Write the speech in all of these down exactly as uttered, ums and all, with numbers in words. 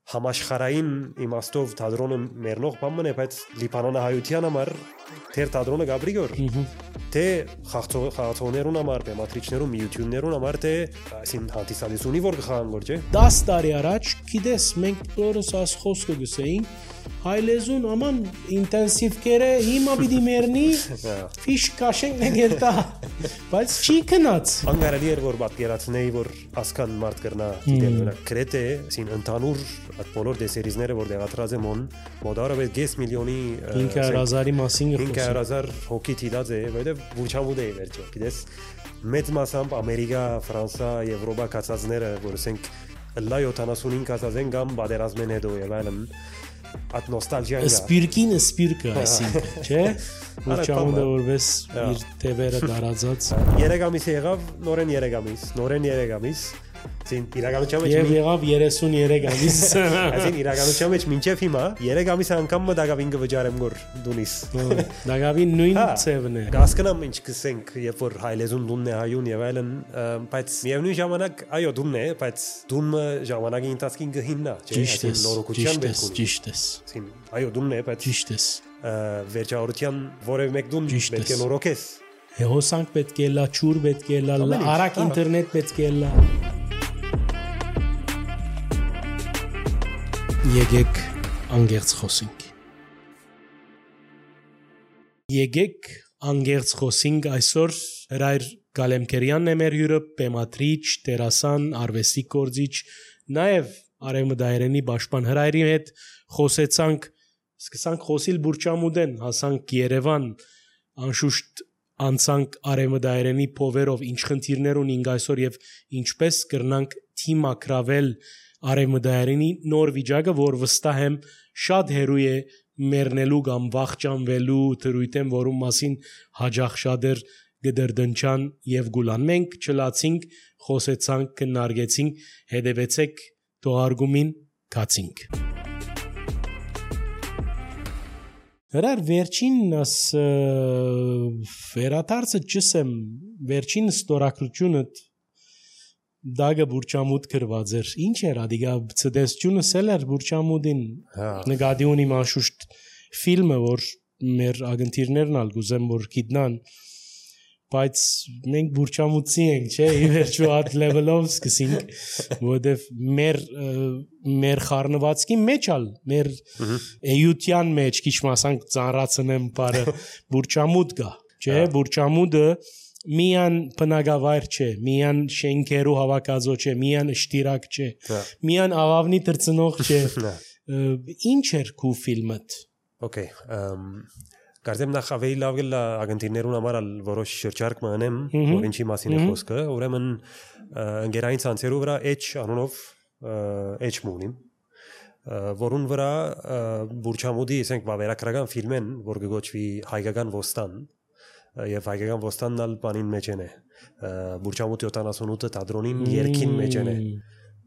համաշխարհային իմաստով թատրոնը մեռնող բան է, բայց Լիբանանահայության համար թեր թատրոնը գաբրիգոր թե խաղացողներուն համար, բեմադրիչներուն, միություններուն համար թե այսին հանդիսալիսունի որ գխան գոր չէ դաս տարի առաջ գիտես մենք բոլորս աս խոսքը գսեին հայլեզուն աման ինտենսիվ կերը հիմա պիտի մեռնի ֆիշ կաշենք նգերտա բայց չի քնած անգարելի էր որ պատկերացնեի որ ասկան մարդ կրնա դիտել կրեթե այսին ընդհանուր այդ բոլոր դեսերիզները որ դեղատրած եմ on մոդարը վեց միլիոնի հինգ հազարի մասին հինգ հազար հոգի տիդած է որտեվ բուչամուդ է վերջո գիտես մեծ մասամբ ամերիկա ֆրանսա եվրոպա կացածները որ ասենք լա յոթանասունհինգ կացածեն կամ բادرազմեն հետո եւ այլն at նոստալգիան սպիրկին սպիրկը այսինքն չէ բուչամուդը որպես իր տևերը դարածած երեք ամիս եղավ նորեն երեք ամիս նորեն երեք ամիս Այսին իրականության մեջ Եվ եղավ երեսուներեք ամիս Այսին իրականության մեջ մինչև հիմա երեք ամիս անգամ դագավին կվճարեմ գոր դունիս Դագավին նույն ծևն է Գասկնամ ինչ կսենք երբ որ հայլեզուն դունն է հայուն եւ այլն բայց միևնույն ժամանակ այո դունն է բայց դունը ժամանակի ընթացքին կհիննա չէ նորոգության բերք ունի ճիշտ ես այսին այո դունն է բայց ճիշտ ես վերջավորության որևէ մեկ դուն պետք է նորոգես հոսանք պետք է լա ճուր պետք է լա արագ ինտերնետ պետք է լա Եկեք անգերց խոսենք Եկեք անգերց խոսենք այսօր Հրայր Գալեմքերյանն է մեր հյուրը բեմադրիչ, դերասան, արվեստի գործիչ նաև Արևմտահայերենի պաշտպան Հրայրի հետ խոսեցանք սկսանք խոսիլ Բուրչամուդեն հասանք Երևան անշուշտ անցանք Արևմտահայերենի փովերով ինչ խնդիրներ ունենք այսօր եւ ինչպես կրնանք թիմակրավել Արևմտահայերենի նոր վիճակը, որ վստահ եմ շատ հերույ է մեռնելու կամ վախճանվելու թրույթեմ, որում մասին հաջող շատեր գդրդնչան եւ գուլան։ Մենք չլացինք, խոսեցանք, քննարկեցինք, հետևեցեք թողարկումին, կացինք։ Հրար վերջին աս վերադարձը չսեմ, վերջին ստորագրությունը Դագը Բուրչամուդ գրված էր։ Ինչ էր ադիգա ցդեսությունը սելեր Բուրչամուդին նկատի ունի անշուշտ ֆիլմը որ մեր ագնտիրներն ալ գուզեմ որ գիտնան բայց մենք Բուրչամուդցի ենք, չէ, ի վերջո այդ լեվելով սկսենք, որովհետև մեր մեր խառնվածքի մեջ ալ մեր էյության մեջ քիչ մասանք ծանրացնեմ բարը Բուրչամուդ գա, չէ, Բուրչամուդը միան բնակավայր չէ, միան շենքերու հավաքածո չէ, միան ըշտիրակ չէ, միան ավավնի տրծնող չէ։ Ինչ էր քու ֆիլմդ։ Okay, կարծեմ նախ ավելի լավ գլա ագնտիրներուն համար որոշ շրջարկ մնեմ, որ ինչի մասին է խոսքը, ուրեմն ընկերային ցանցերու վրա H անունով H մունիմ, որուն վրա Բուրչամուդի, ասենք, վավերագրական ֆիլմ են, որ կգոչվի Հայկական ոստան Եվ հայկական ոստանն ալ բանին մեջ են է, Բուրչամուդ յոթանասունութ թատրոնին երկին մեջ են է,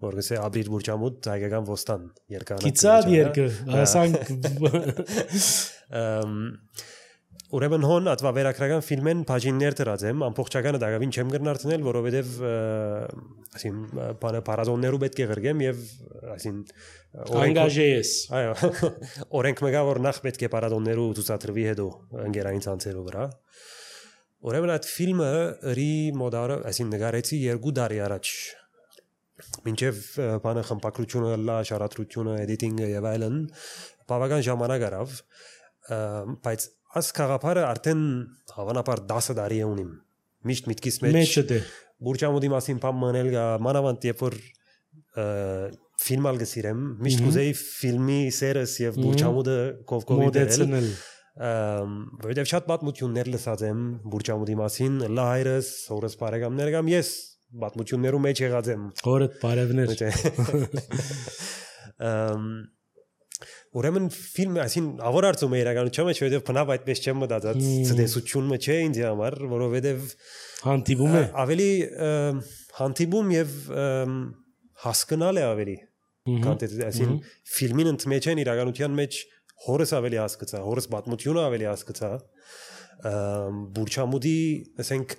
որ գսե աբրիր Բուրչամուդ հայկական ոստան երկանը։ Կիցاد երկը, ասանք։ Ուրեմն հոն ատվա վերակրական ֆիլմեն բաժիններ դրած եմ, ամբողջականը դակավին չեմ կրնարցնել, որովհետև ասին բանը պարազոններու պետք է գրգեմ եւ ասին անգաժե ես։ Այո, օրենք մգա որ նախ պետք է պարազոններու ցուցադրվի հետո ընկերային ցանցերու վրա։ Ուրեմն այդ ֆիլմը ըրի մոդարը, այսին նկարեցի երկու տարի առաջ։ Մինչև բանը խմբակրությունը, լա շարադրությունը, էդիտինգը եւ այլն, բավական ժամանակ արավ, բայց այս խաղապարը արդեն հավանաբար դասը տարի է ունիմ։ Միշտ միտքիս մեջ Բուրչամուդի մասին բան մնել գա, մանավանդ երբ որ ֆիլմ ալ գսիրեմ, միշտ կուզեի ֆիլմի սերս եւ Բուրչամուդը կովկովի դերել։ Որովհետև շատ պատմություններ լսած եմ Բուրչամուդի մասին, լա հայրս, հորս բարեկամներ կամ ես պատմություններու մեջ եղած եմ։ Հորդ բարևներ։ Ուրեմն ֆիլմը այսին ավոր արծում է իրականության մեջ, որովհետև բնավ այդպես չեմ մտածած, ցտեսությունը չէ ինձ համար, որովհետև հանդիպում է ավելի հանդիպում եւ հասկանալ է ավելի։ Քան այսին ֆիլմին ընդմեջ են իրականության մեջ հորս ավելի հասկացա, հորս պատմությունը ավելի հասկացա, Բուրչամուդի, ասենք,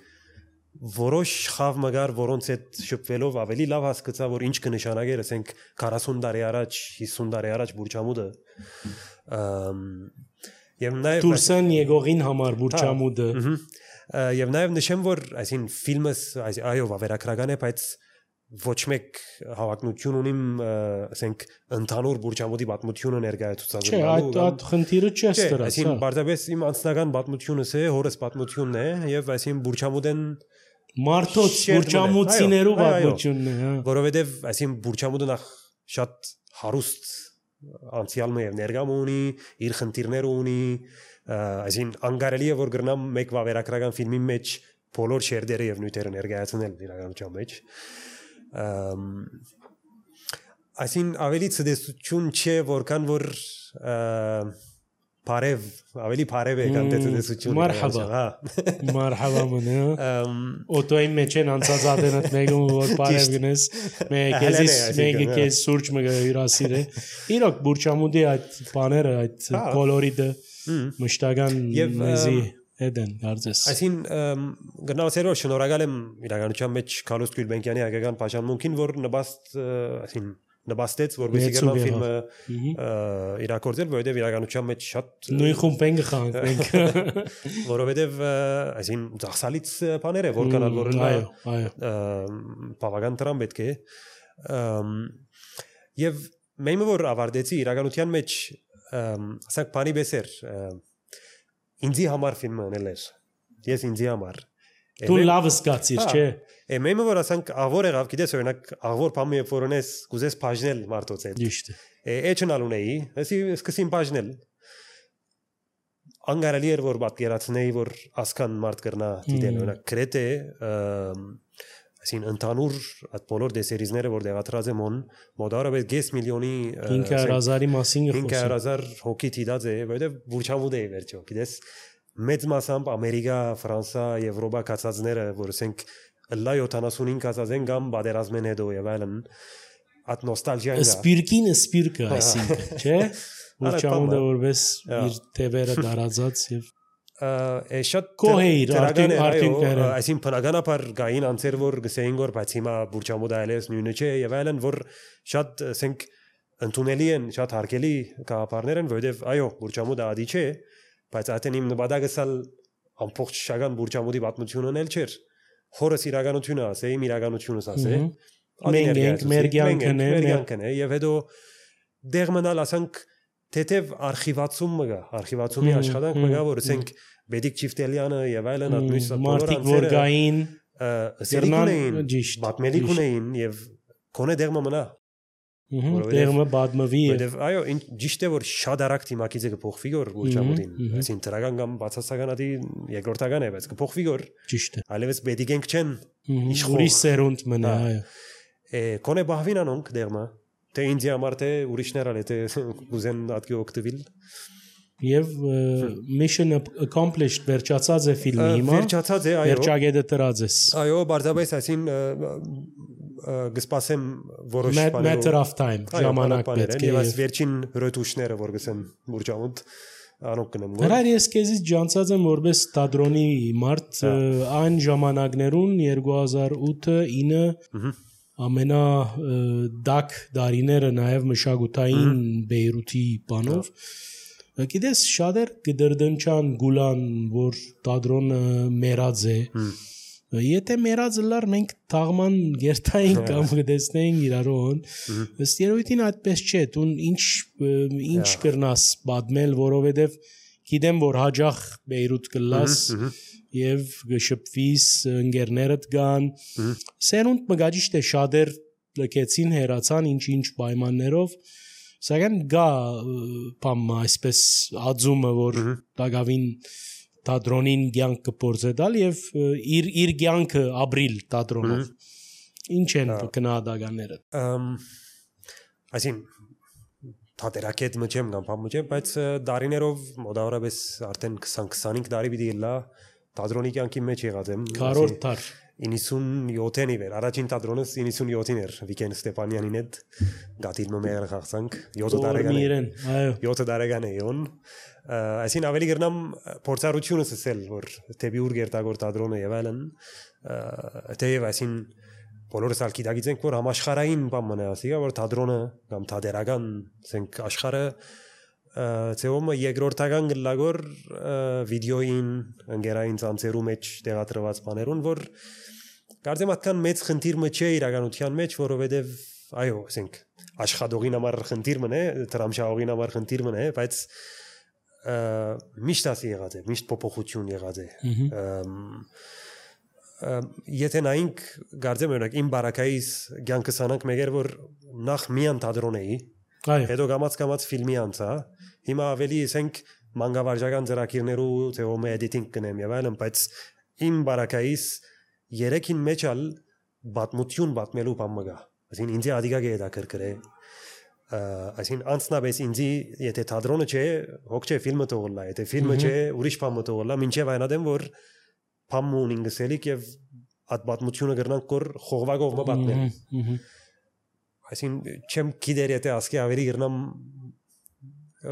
որոշ խավ մգար որոնց հետ շփվելով ավելի լավ հասկացա որ ինչ կնշանակեր ասենք քառասուն տարի առաջ հիսուն տարի առաջ Բուրչամուդը եւ նաեւ Տուրսեն եկողին համար Բուրչամուդը եւ նաեւ նշեմ որ այսին ֆիլմս այո վավերագրական է բայց ոչ մեկ հավակնություն ունիմ ասենք ընդհանուր Բուրչամուդի պատմությունը ներկայացուցած չէ այդ այդ խնդիրը չես դրած այսին բարձրապես իմ անձնական պատմությունս է հորս պատմությունն է եւ այսին Բուրչամուդեն մարդոց Բուրչամուդցիներու պատմությունն է հա որովհետեւ այսին Բուրչամուդը նախ շատ հարուստ անցյալ է եւ ներկամ ունի իր խնդիրները ունի այսին անգարելի է որ գրնամ մեկ վավերագրական ֆիլմի մեջ բոլոր շերտերը եւ նյութերը ներկայացնել իրականության մեջ այսին ավելի ցդեսություն չէ որքան որ Parev, ավելի Parev է քան տեսություն։ Մարհաբա։ Մարհաբա մնա։ Օտոյի մեջ են անցած ադենat մեկում որ Parev գնես, մեկ էզիս մեկ էս սուրճ մը հյուրասիր է։ Իրոք Բուրչամուդի այդ բաները, այդ կոլորիտը մշտական մեզի Էդեն կարծես։ Այսին գնացերով շնորհակալ եմ իրականության մեջ Քալոս Գյուլբենկյանի հայկական պաշտամունքին որ նպաստ այսին նպաստեց որովհետեւ գնալ ֆիլմը իրակորձել որովհետեւ իրականության մեջ շատ նույն խումբ են գխանք մենք որովհետեւ այսին ծախսալից բաներ է որ կանալ որ այո այո բավական տրամ պետք է եւ մեմը որ ավարտեցի իրականության մեջ ասենք բանի բեսեր ինձի համար ֆիլմը անել էր ես ինձի համար դու լավ զգացիր չէ Εμένα որ ասենք աղվոր եղավ, գիտես օրինակ աղվոր բամի ֆորոնես կուզես բաժնել մարդոց հետ։ Ճիշտ է։ Էջնալ ունեի, ասի սկսին բաժնել։ Անգարելի էր որ պատկերացնեի որ ասքան մարդ կրնա դիտել օրինակ գրեթե ասին ընդհանուր այդ բոլոր դեսերիզները որ դեղատրած եմ on մոդարապես գես միլիոնի հինգ հազարի մասին հինգ հազար հոգի դիտած է, որովհետև Բուրչամուդ է վերջո, գիտես մեծ մասամբ Ամերիկա, Ֆրանսա, Եվրոպա կացածները, որ ասենք Լա յոթանասունհինգ ասածեն կամ բادرազմեն հետո եւ այլն at նոստալգիան է սպիրկին սպիրկը այսինքն չէ Բուրչամուդը որպես իր թևերը դարածած եւ է շատ կոհեիր արտինքները այսին բնականաբար գային անցեր որ գսեին որ բայց հիմա Բուրչամուդը այլևս նույնը չէ եւ այլն որ շատ ասենք ընդունելի են շատ հարգելի գաղափարներ են որովհետեւ այո Բուրչամուդը ադի չէ բայց այդեն իմ նպատակը ամբողջ շագան Բուրչամուդի պատմությունն էլ չէր Հորս իրականությունը ասե, իմ իրականությունս ասե։ Մենք ենք, մեր կյանքն է, մեր կյանքն է, եւ հետո դեղ մնալ ասենք թեթև արխիվացում մգա, արխիվացումի աշխատանք մգա, որ ասենք Բեդիկ Չիֆտելյանը եւ այլն ատմույս բոլոր անձերը սերնան պատմելիք ունեին եւ կոնե դեղ մնա։ Դեղը բադմվի է։ Այո, ճիշտ է որ շատ արագ թիմակիցը կփոխվի որ Բուրչամուդին, այսին դրական կամ բացասական ադի երկրորդական է, բայց կփոխվի որ ճիշտ է։ Այլևս բեդիկենք չեն ուրիշ սերունդ մնա, այո։ Է կոնե բահվին անոնք դեղմա, թե ինձի համար թե ուրիշներ ալե թե գուզեն ադկի օկտվիլ։ Եվ mission accomplished վերջացած է ֆիլմի հիմա։ Վերջացած է, այո։ Վերջագետը տրած է։ Այո, բարձրապես այսին գսպասեմ որոշ բաներով matter of time ժամանակ պետք է եւ այս վերջին ռետուշները որ գսեն Բուրչամուդ անոնք կնեմ գոր Հրայր ես քեզից ջանցած եմ որպես տադրոնի մարդ այն ժամանակներուն երկու հազար ութը ինը ամենա դակ դարիները նաեւ մշակութային Բեյրութի բանով գիտես շատեր գդրդնչան գուլան որ տադրոնը մերած է Եթե մերած լար մենք թաղման գերտային կամ գտեսնեին իրարոն ըստ երևույթին այդպես չէ դու ինչ ինչ կրնաս պատմել որովհետև գիտեմ որ հաջող Բեյրութ կլաս եւ գշփվիս ընկերներդ գան սերունդ մգաջիշտ է շատեր լքեցին հերացան ինչ-ինչ պայմաններով սակայն գա բամ այսպես ածումը որ դակավին Տադրոնին կյանք կփորձել եւ իր իր կյանքը ապրիլ տադրոնով ինչ են գնահատականները այսին թատերակետ մջեմ կամ բամ մջեմ բայց դարիներով մոտավորապես արդեն քսան քսանհինգ տարի պիտի լա տադրոնի կյանքի մեջ եղած եմ քառորդ դար իննսունյոթին էր առաջին թատրոնս իննսունյոթին էր Վիկեն Ստեփանյանին հետ գատիլը մեր խաղցանք յոթ տարեկան այո յոթ տարեկան է յոն այսին ավելի գրնամ փորձառությունը սել որ դեպի ուր գերտագոր թատրոնը եւ այլն թեև այսին բոլորս ալ գիտակցենք որ համաշխարհային բան մնա ասիգա որ թատրոնը կամ թատերական ասենք աշխարհը ծեոմը երկրորդական գլագոր վիդեոին ընկերային ցանցերու մեջ տեղադրված բաներուն որ կարծեմ այդքան մեծ խնդիրը չէ իրականության մեջ որովհետև այո ասենք աշխատողին համար խնդիրը է դրամշահողին համար խնդիրը է բայց միշտ ասի եղած է միշտ փոփոխություն եղած է եթե նայենք կարծեմ օրինակ իմ բարակայից ցանկս անանք մեգեր որ նախ միան թատրոն էի հետո գամած գամած ֆիլմի անցա հիմա ավելի ասենք մանկավարժական ծրագիրներու ծեոմը էդիտինգ կնեմ եւ այլն բայց իմ բարակայից երեքին մեջ ալ բաթմություն բաթմելու բան մգա այսին ինձ ադիգա գեդա կրկրե այսին անցնաբես ինձ եթե թատրոնը չէ հոգ չէ ֆիլմը թողոլա եթե ֆիլմը չէ ուրիշ բան թողոլա մինչեւ այնադեմ որ փամուն ինգսելիք եւ այդ բաթմությունը գրնանք կոր խողվագով մը բաթնել այսին չեմ գիտեր եթե ասկի ավելի գրնամ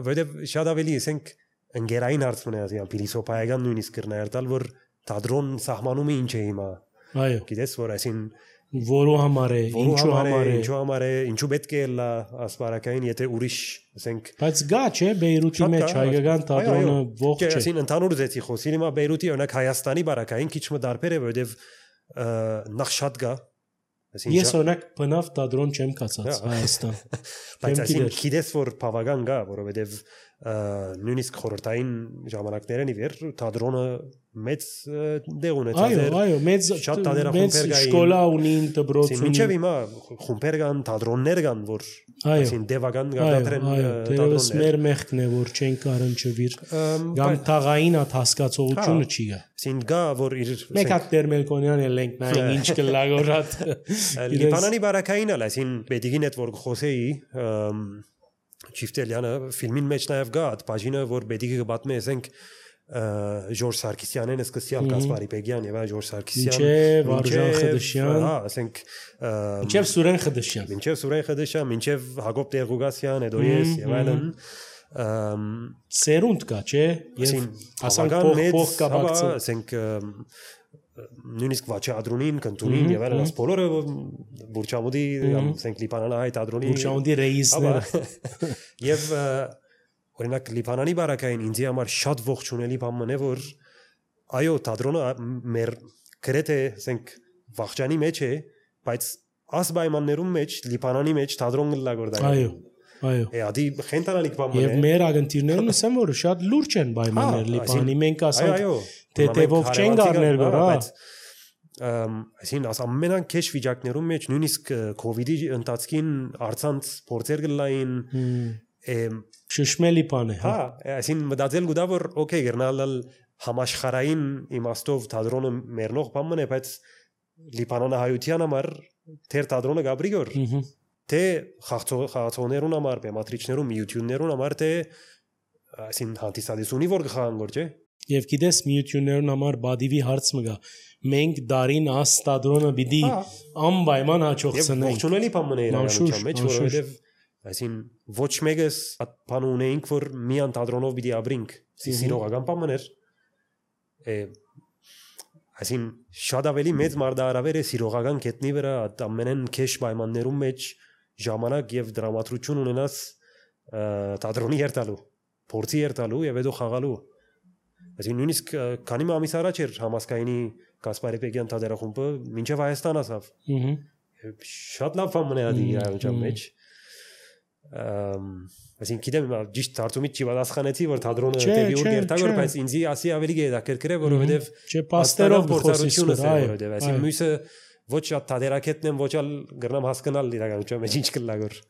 որտեվ շատ ավելի ասենք ընկերային հարցն է ասի փիլիսոփայական նույնիսկ գրնայր տալ որ թատրոն սահմանումը ինչ է հիմա այո գիտես որ այսին որո համար է ինչու համար է ինչու համար է ինչու պետք է լա ասպարակային եթե ուրիշ ասենք բայց գա չէ Բեյրութի մեջ հայկական թատրոնը ողջ չէ այսին ընդհանուր զեցի խոսի հիմա Բեյրութի օրինակ Հայաստանի բարակային քիչ մը դարբեր է որտեվ նախ շատ գա ես օրինակ բնավ թատրոն չեմ կացած Հայաստան բայց այսին գիտես որ բավական գա որովհետև նույնիսկ խորհրդային ժամանակներն ի վեր թատրոնը մեծ դեղ ունեցած էր այո այո մեծ շատ թատերախումբեր կային շկոլա ունին դպրոց ունին մինչև հիմա խումբեր կան թատրոններ կան որ այսին դեվական գարտադրեն թատրոններ մեր մեղքն է որ չեն կարընչվիր կամ թաղային հատ հասկացողությունը չի գա այսին գա որ իր մեկ հատ Տերմելկոնյան էլ ենք նայենք ինչ կլագորատ Լիբանանի բարակային ալ այսին բեդիգին հետ որ խոսեի Չիֆտելյանը ֆիլմին մեջ նաև գա այդ բաժինը որ բեդիգը կբատմի ասենք Ժորժ Սարգսյանեն սկսյալ Կասպարի Պեգյան եւ այլ Ժորժ Սարգսյան մինչեւ Վարժան Խդշյան հա ասենք մինչեւ Սուրեն Խդշյան մինչեւ Սուրեն Խդշյան մինչեւ Հակոբ Տեր-Ղուգասյան հետո ես եւ այլն սերունդ կա չէ եւ ասենք փող կա բացը ասենք նույնիսկ Վաչի Ադրունին, Կնտունին եւ այլն աս բոլորը Բուրչամուդի ասենք Լիբանանահայ Ադրունի Բուրչամուդի ռեիսները եւ օրինակ Լիբանանի բարակային ինձ համար շատ ողջունելի բան է որ այո թատրոնը մեր գրեթե ասենք վախճանի մեջ է բայց աս պայմաններում մեջ Լիբանանի մեջ թատրոն լագորդա այո այո Էադի խենտանալիք բան է եւ մեր ագենտիրներն ասեմ որ շատ լուրջ են պայմաններ Լիբանի մենք ասենք թեթևով չեն գարներ գոր հա այսին աս ամենան քեշ վիճակներում մեջ նույնիսկ կոവിഡ്ի ընթացքին արցանց փորձեր գլային շշմելի բան է հա այսին մտածել գուտա որ օքեյ գերնալ համաշխարային իմաստով թատրոնը մերնող բան է բայց Լիբանանահայության համար թեր թատրոնը գաբրիգոր թե խաղացողներուն համար բեմատրիչներուն միություններուն համար թե այսին հանդիսադեսունի որ գխան գոր չէ եւ գիտես միություններուն համար բադիվի հարց մգա մենք դարին աս թատրոնը պիտի անպայման հաջողցնենք եւ ողջունելի բան է իրականության մեջ որովհետեւ այսին ոչ մեկս բան ունեինք որ միան թատրոնով պիտի ապրենք սիրողական բան էր այսին շատ ավելի մեծ մարդարավեր է սիրողական կետնի վրա ամենեն քեշ պայմաններում մեջ ժամանակ եւ դրամատրություն ունենաս թատրոնի երթալու փորձի երթալու եւ հետո խաղալու այսին նույնիսկ քանի ամիս առաջ էր համասկայինի Կասպարի Պեգյան թատերախումբը մինչեւ Հայաստան ասավ շատ լավ բան է ադի իրականության մեջ այսին գիտեմ ճիշտ դարձումից չի պատասխանեցի որ թատրոնը դեպի ուր գերտագոր բայց ինձի ասի ավելի գեդակերկրե որովհետեւ չէ պաստերով փորձառությունը է որովհետեւ այսին մյուսը ոչ շատ թատերակետն եմ ոչ ալ գրնամ հասկանալ իրականության մեջ ինչ կլագոր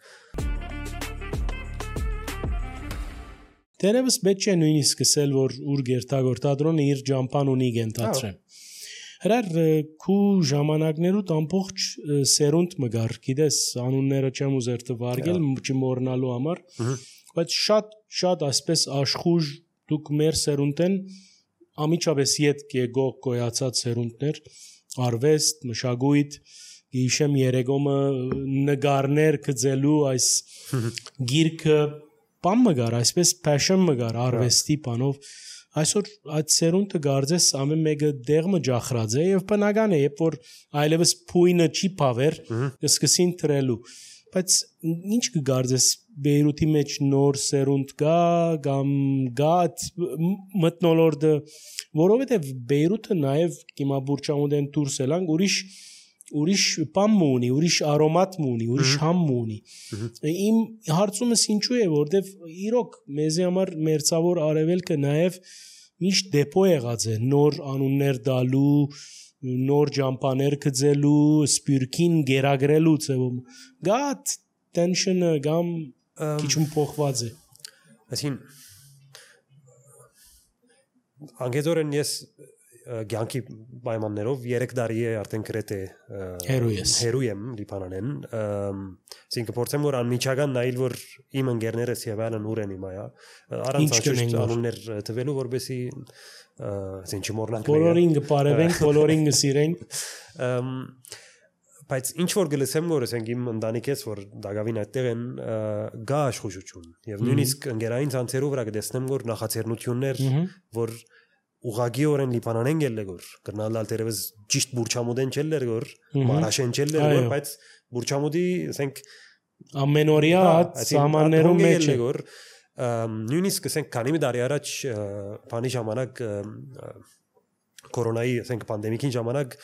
Դերևս պետք է նույնիսկ սկսել որ ուր գերտագոր թատրոնը իր ջամփան ունի գենտացրեն Հրար քու ժամանակներուտ ամբողջ սերունդ մգար գիտես անունները չեմ ուզեր տվարգել չմոռնալու համար բայց շատ շատ այսպես աշխուժ դուք մեր սերունդեն ամիջապես իդ կեգող գոյացած սերունդներ արվեստ, մշակույթ, գիշեմ երեգոմը նկարներ գծելու այս գիրքը բան մգար, այսպես passion մգար արվեստի բանով այսօր այդ սերունդը գարձես ամեն մեկը դեղը ջախրած է եւ բնական է, երբ որ այլևս փույնը չի փավեր, կսկսին թրելու բայց ինչ կգարձես Բեյրութի մեջ նոր սերունդ կա կամ գա մտնոլորտը որովհետև Բեյրութը նաև հիմա Բուրչամուդեն դուրս ելանք ուրիշ ուրիշ բան ունի, ուրիշ արոմատ ունի, ուրիշ համ ունի։ Իմ հարցումս ինչու է, որովհետև իրոք մեզի համար մերձավոր արևելքը նաև միշտ դեպո եղած է, նոր անուններ դալու, նոր ջամփաներ գծելու, սպյուրքին գերագրելու ձևում։ Գա tension-ը կամ քիչ փոխված է։ Այսին անգեզորեն ես Գյանքի պայմաններով երեք տարի է արդեն գրեթե հերոյ եմ Լիբանանեն ասինքն փորձեմ որ անմիջական նայել որ իմ ընկերներս եւ այլն ուր են հիմա առանց անշուշտ անուններ տվելու որբեսի ասին չմոռնանք բոլորին կպարևենք բոլորին կսիրենք բայց ինչ որ գլսեմ որ ասենք իմ ընտանիքից որ դակավին այդտեղ են գա աշխուժություն եւ նույնիսկ ընկերային ցանցերով վրա կտեսնեմ որ նախաձեռնություններ որ ուղագիորեն Լիբանանեն գելլեգոր կրնալալ դերևս ճիշտ Բուրչամուդեն չելլերգոր մարաշեն չելլերգոր բայց Բուրչամուդի ասենք ամենօրյա սահմաններում մեջ գելլեգոր նույնիսկ ասենք քանի մի տարի առաջ բանի ժամանակ կորոնայի ասենք պանդեմիկին ժամանակ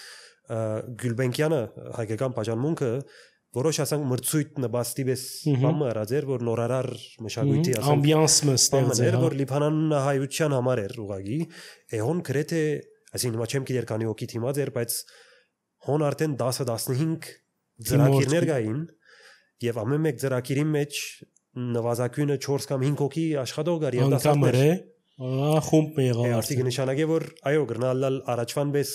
Գյուլբենկյանը հայկական պաշտամունքը որոշ ասենք մրցույթ նպաստի պես բան արածեր որ նորարար մշակույթի ասենք ամբիանսը ստեղծեր որ Լիբանանը հայության համար էր ուղագի էհոն գրեթե այսինքն հիմա չեմ գիտեր քանի հոգի թիմած էր բայց հոն արդեն դասը տասնհինգ ծրագիրներ կային եւ ամեն մեկ ծրագիրի մեջ նվազագույնը չորս կամ հինգ հոգի աշխատող կար եւ դասատներ ահա խումբ եղավ արդյոք նշանակե որ այո գրնալալ առաջվան պես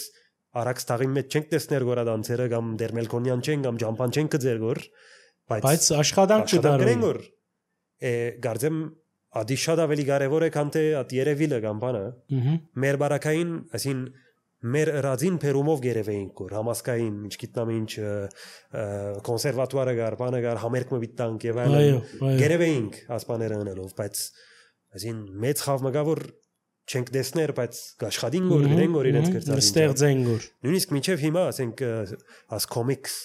Արաքս տաղի մեջ չենք տեսներ գորադանցերը կամ դերմելկոնյան չեն կամ ջամփան չենք գծեր գոր բայց աշխատանք կդարեն գոր է գարձեմ ադի շատ ավելի կարևոր է քան թե at երևիլը կամ բանը մեր բարակային ասին մեր ռադին Պերումով գերևեինք գոր համասկային ինչ գիտնամ ինչ կոնսերվատուարը գար բանը գար համերգ մբիտանք եւ այլն գերևեինք ասպաները ունելով բայց ասին մեծ խավ մգա որ չենք դեսներ բայց աշխատին գոր գնեն գոր իրենց գրծած ստեղծեն գոր նույնիսկ մինչև հիմա ասենք աս կոմիքս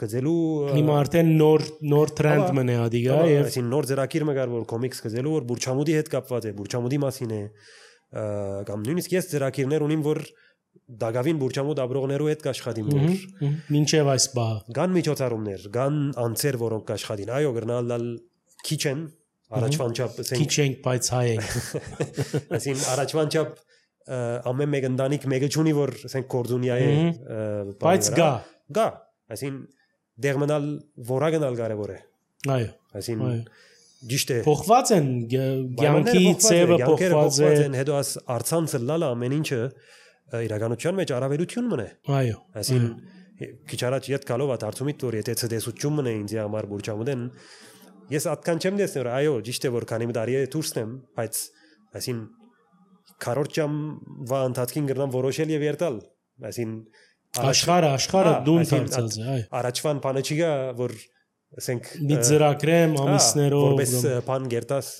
գծելու հիմա արդեն նոր նոր տրենդ մնա ադիգա եւ այսին նոր ծրագիր մգար որ կոմիքս գծելու որ Բուրչամուդի հետ կապված է Բուրչամուդի մասին է կամ նույնիսկ ես ծրագիրներ ունիմ որ դակավին Բուրչամուդ աբրողներու հետ կաշխատիմ որ մինչև այս բա կան միջոցառումներ կան անձեր որոնք կաշխատին այո գրնալ քիչ են Առաջվան չափ քիչ ենք բայց հայ ենք ասին առաջվան չափ ամեն մեկ ընտանիք մեկը չունի որ ասենք կորձունյա է բայց գա գա ասին դերմնալ որագնալ կարևոր է այո ասին ճիշտ է փոխված են ցանկի ծևը փոխված է հետո աս արցանցը լալա ամեն ինչը իրականության մեջ առավելություն մնա այո ասին քիչ առաջ իդ գալով at արցումից որ եթե ցտեսություն մնա ինձ համար Բուրչամուդեն Ես atkan չեմ դեսներ, այո, ճիշտ է որ քանի տարի է դուրսնեմ, բայց այսին քառորդ ժամ վա ընթացքին գրնամ որոշել եւ երթալ, այսին աշխարհը, աշխարհը դուն դարձած է, այո։ Առաջվան բանը չի գա, որ ասենք մի ծրագրեմ ամիսներով որպես բան գերտաս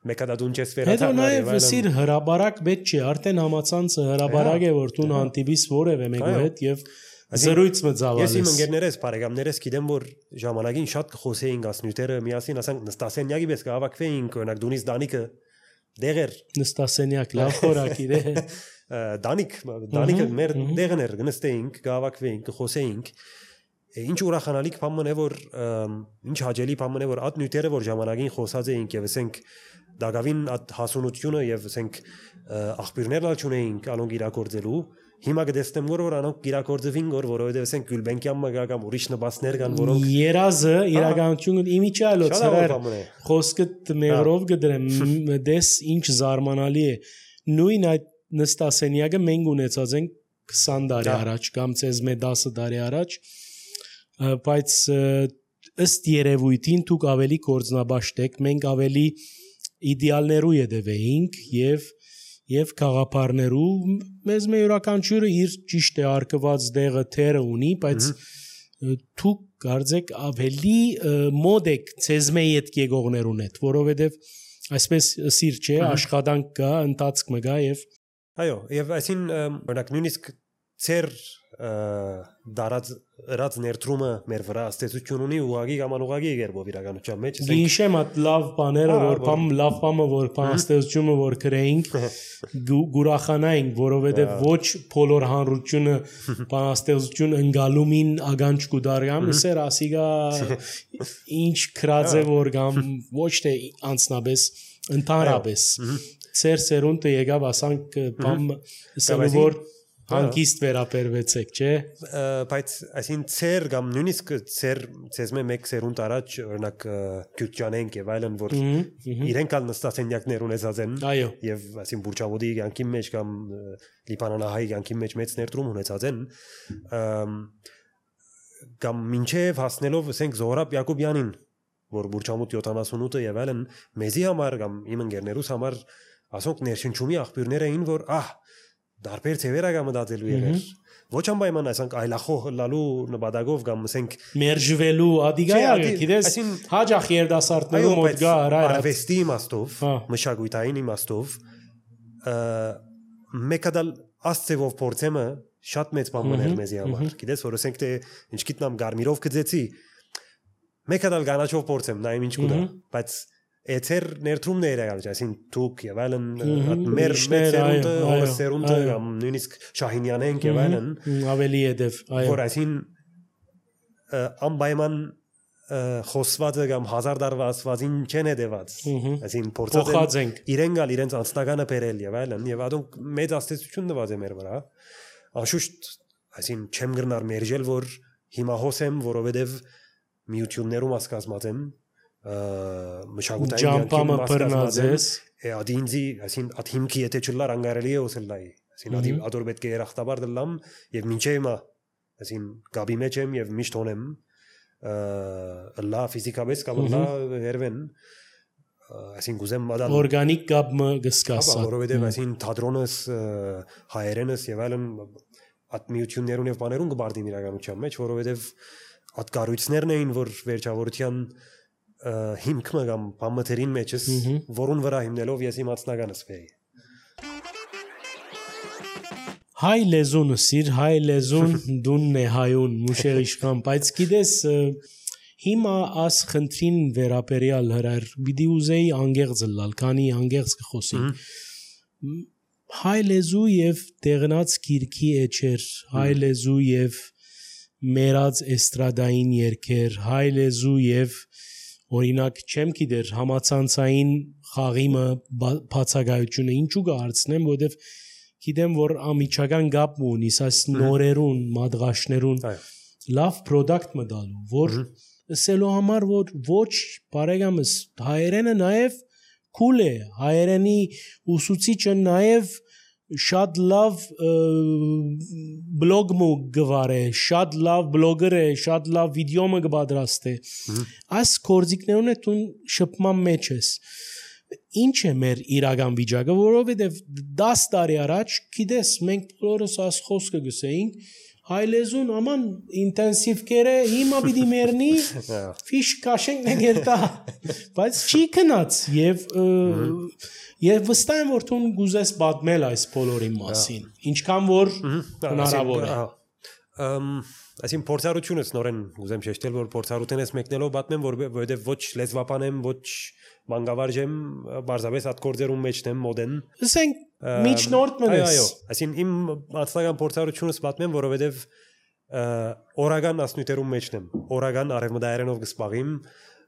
մեկադադուն չես վերաթալ։ Հետո նաեւ սիր հրաբարակ պետք չի, արդեն համացանցը հրաբարակ է որ դու հանդիպիս որևէ մեկու հետ եւ Զրույց մծավալես։ Ես իմ ընկերներս, բարեկամներս գիտեմ որ ժամանակին շատ կխոսեին ասնյութերը միասին ասենք նստասենյակի պես կհավաքվեին օրինակ դունից Դանիկը դեղեր նստասենյակ լավ խորակիր է Դանիկ Դանիկը մեր դեղն էր նստեինք կհավաքվեինք կխոսեինք ինչ ուրախանալիք բան է որ ինչ հաճելի բան է որ այդ նյութերը որ ժամանակին խոսած էինք եւ ասենք դակավին այդ հասունությունը եւ ասենք աղբյուրներն ալչունեինք ալոնք իրակորձելու Հիմա կդեսնեմ որ որ անոնք իրակորձվին որ որովհետեւ ասենք Գյուլբենկյան մգա կամ ուրիշ նպաստներ կան որոնք երազը իրականությունը իմիջալոց էր խոսքը մեղրով գդրեմ դես ինչ զարմանալի է նույն այդ նստասենյակը մենք ունեցած ենք քսան տարի առաջ կամ ցեզ մե դասը տարի առաջ բայց ըստ երևույթին դուք ավելի կորձնաբաշտ եք մենք ավելի իդեալներու յետևեինք եւ եւ խաղապարներու մեզ մե յուրաքանչյուրը իր ճիշտ է արկված դեղը թերը ունի, բայց դու կարծեք ավելի մոդ եք ցեզմե իդ գեգողներուն հետ, որովհետեւ այսպես սիր չէ, աշխատանք կա, ընթացք մը կա եւ այո, եւ այսին օրինակ նույնիսկ ծեր դարած ռած ներդրումը մեր վրա աստեցություն ունի ուղագի կամ անուղագի երբով իրականության մեջ գիշեմ at լավ բաները որ բամ լավ բամը որ աստեցությունը որ գրեինք գուրախանային որովհետեւ ոչ բոլոր հանրությունը աստեցություն ընկալումին ագանջ կուդարյամ սեր ասիգա ինչ քրաձե որ կամ ոչ թե անցնաբես ընդհանրապես ծեր սերունդը եկավ ասանք բամ ասելու որ հանկիստ վերապերվեցեք, չէ՞։ Բայց այսին ծեր կամ նույնիսկ ծեր ցեզմե մեկ սերունդ առաջ օրինակ Գյուրջանենք եւ այլն որ իրենք ալ նստած ենյակներ ունեցած են եւ այսին Բուրչավոդի յանքի մեջ կամ Լիբանանահայ յանքի մեջ մեծ ներդրում ունեցած են կամ մինչեւ հասնելով ասենք Զոհրաբ Յակոբյանին որ Բուրչամուտ յոթանասունութը եւ այլն մեզի համար կամ իմ ընկերներուս համար ասոնք ներշնչումի աղբյուրներ էին որ ահ դարբեր ծևերագա մտածելու եղեր ոչ անպայման ասենք այլախոհ լալու նպատակով կամ ասենք մերժվելու ադիգայա գիտես հաջախ երդասարտներու մոտ գա արվեստի իմաստով մշակույթային իմաստով մեկադալ աստծեվով փորձեմը շատ մեծ բան մներ մեզի համար գիտես որ ասենք թե ինչ գիտնամ գարմիրով գծեցի մեկադալ գանաչով փորձեմ նայեմ ինչ կուտա բայց Էթեր ներդրումներ եղած, այսին թուք եւ այլն մեր մեծերունը, օրսերունը կամ նույնիսկ Շահինյանենք եւ այլն ավելի եդև, այո։ Որ այսին անպայման խոսվածը կամ հազար դարվա ասվածին չեն հետեված, այսին փորձած են իրեն գալ իրենց անձնականը բերել եւ այլն եւ ադոնք մեծ աստեցություն նվազ է մեր վրա։ Անշուշտ, այսին չեմ գրնար մերժել որ հիմա հոսեմ, որովհետեւ միություններում ասկազմած եմ մշակութային ջամպամը բռնածես ադինձի այսին աթիմքի եթե չլար անգարելի է օսելլայի այսին ադի ադոր պետք է երախտաբար դլամ եւ մինչեւ հիմա այսին գաբի մեջ եմ եւ միշտ ունեմ լա ֆիզիկապես կամ լա հերվեն այսին գուզեմ մադալ օրգանիկ գաբը գսկասա որովհետեւ այսին թատրոնս հայերենս եւ այլն ատմիություններուն եւ բաներուն գբարդին իրականության մեջ որովհետեւ ատկարույցներն էին որ վերջավորության հիմքը կամ բամթերին մեջս որուն վրա հիմնելով ես իմ ածնականս վեի հայ լեզուն սիր հայ լեզուն դունն է հայուն մուշեր իշխան բայց գիտես հիմա աս խնդրին վերապերյալ հրար բիդի ուզեի անգեղծ լալ քանի անգեղծ կխոսի հայ լեզու եւ տեղնած գիրքի էջեր հայ լեզու եւ մերած էստրադային երգեր հայ լեզու եւ օրինակ չեմ գիտեր համացանցային խաղիմը բացակայությունը ինչու կհարցնեմ որովհետև գիտեմ որ ամիջական գապ ունի այս նորերուն մադղաշներուն լավ product մտալու որ ասելու համար որ ոչ բարեկամս հայերենը նաև cool է հայերենի ուսուցիչը նաև շատ լավ բլոգ մը գվար է, շատ լավ բլոգեր է, շատ լավ վիդեո մը գբադրաստ է։ Այս կորձիկներուն է տուն շփման մեջ ես։ Ինչ է մեր իրական վիճակը, որովհետև դաս տարի առաջ, գիտես, մենք բոլորս այս խոսքը գսեինք, հայ լեզուն աման ինտենսիվ կերը, հիմա պիտի մերնի, ֆիշ կաշենք նգերտա, բայց չի կնած և Եվ վստահ եմ որ դու գուզես պատմել այս բոլորի մասին ինչքան որ հնարավոր է այսին փորձառությունս նորեն գուզեմ շեշտել որ փորձառությունս մեկնելով պատմեմ որ որովհետև ոչ լեզվապան եմ ոչ մանկավարժ եմ բարձրապես այդ կորձերում մեջն եմ մոդեն ասենք միջնորդ մնես այո այսին իմ անձնական փորձառությունս պատմեմ որովհետև օրական ասնույթերում մեջն եմ օրական արևմտահայերենով գսպաղիմ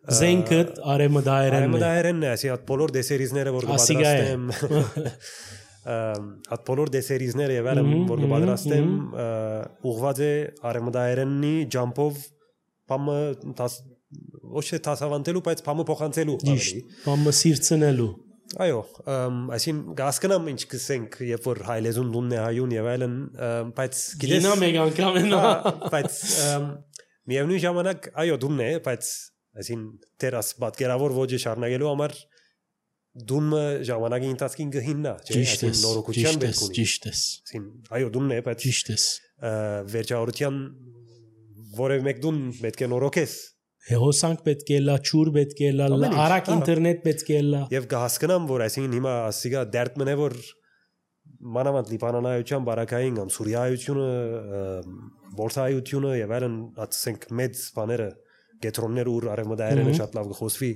Զենքդ արեմդայերենն է։ Արեմդայերենն է, ասի այդ բոլոր դեսերիզները որ կպատրաստեմ։ Այդ բոլոր դեսերիզները եւ այլն որ կպատրաստեմ ուղղված է արեմդայերենի ջամփով բամը ոչ թե տասավանդելու, բայց բամը փոխանցելու ավելի։ Բամը սիրցնելու։ Այո, այսին գասկնամ ինչ կսենք, երբ որ հայ լեզուն դունն է հայուն եւ այլն, բայց գիտես։ Գինա մեկ անգամ են։ Բայց միևնույն ժամանակ այո դունն է, բայց այսին դերաս պատկերավոր ոճը շարունակելու համար դունը ժամանակի ընթացքին գհիննա, չէ՞, այսին նորոգության բերք ունի։ Ճիշտ է։ Այսին այո դունն է, բայց ճիշտ է։ Վերջավորության որևէ մեկ դուն պետք է նորոգես։ Հոսանք պետք է լա, ճուր պետք է լա, արագ ինտերնետ պետք է լա։ Եվ կհասկանամ, որ այսին հիմա ասիգա դերտ մնե որ մանավանդ լիբանանայության բարակային կամ սուրիայությունը, բորսայությունը եւ այլն, ասենք մեծ բաները, գետրոններ ու արևմտահայերենը շատ լավ կխոսվի։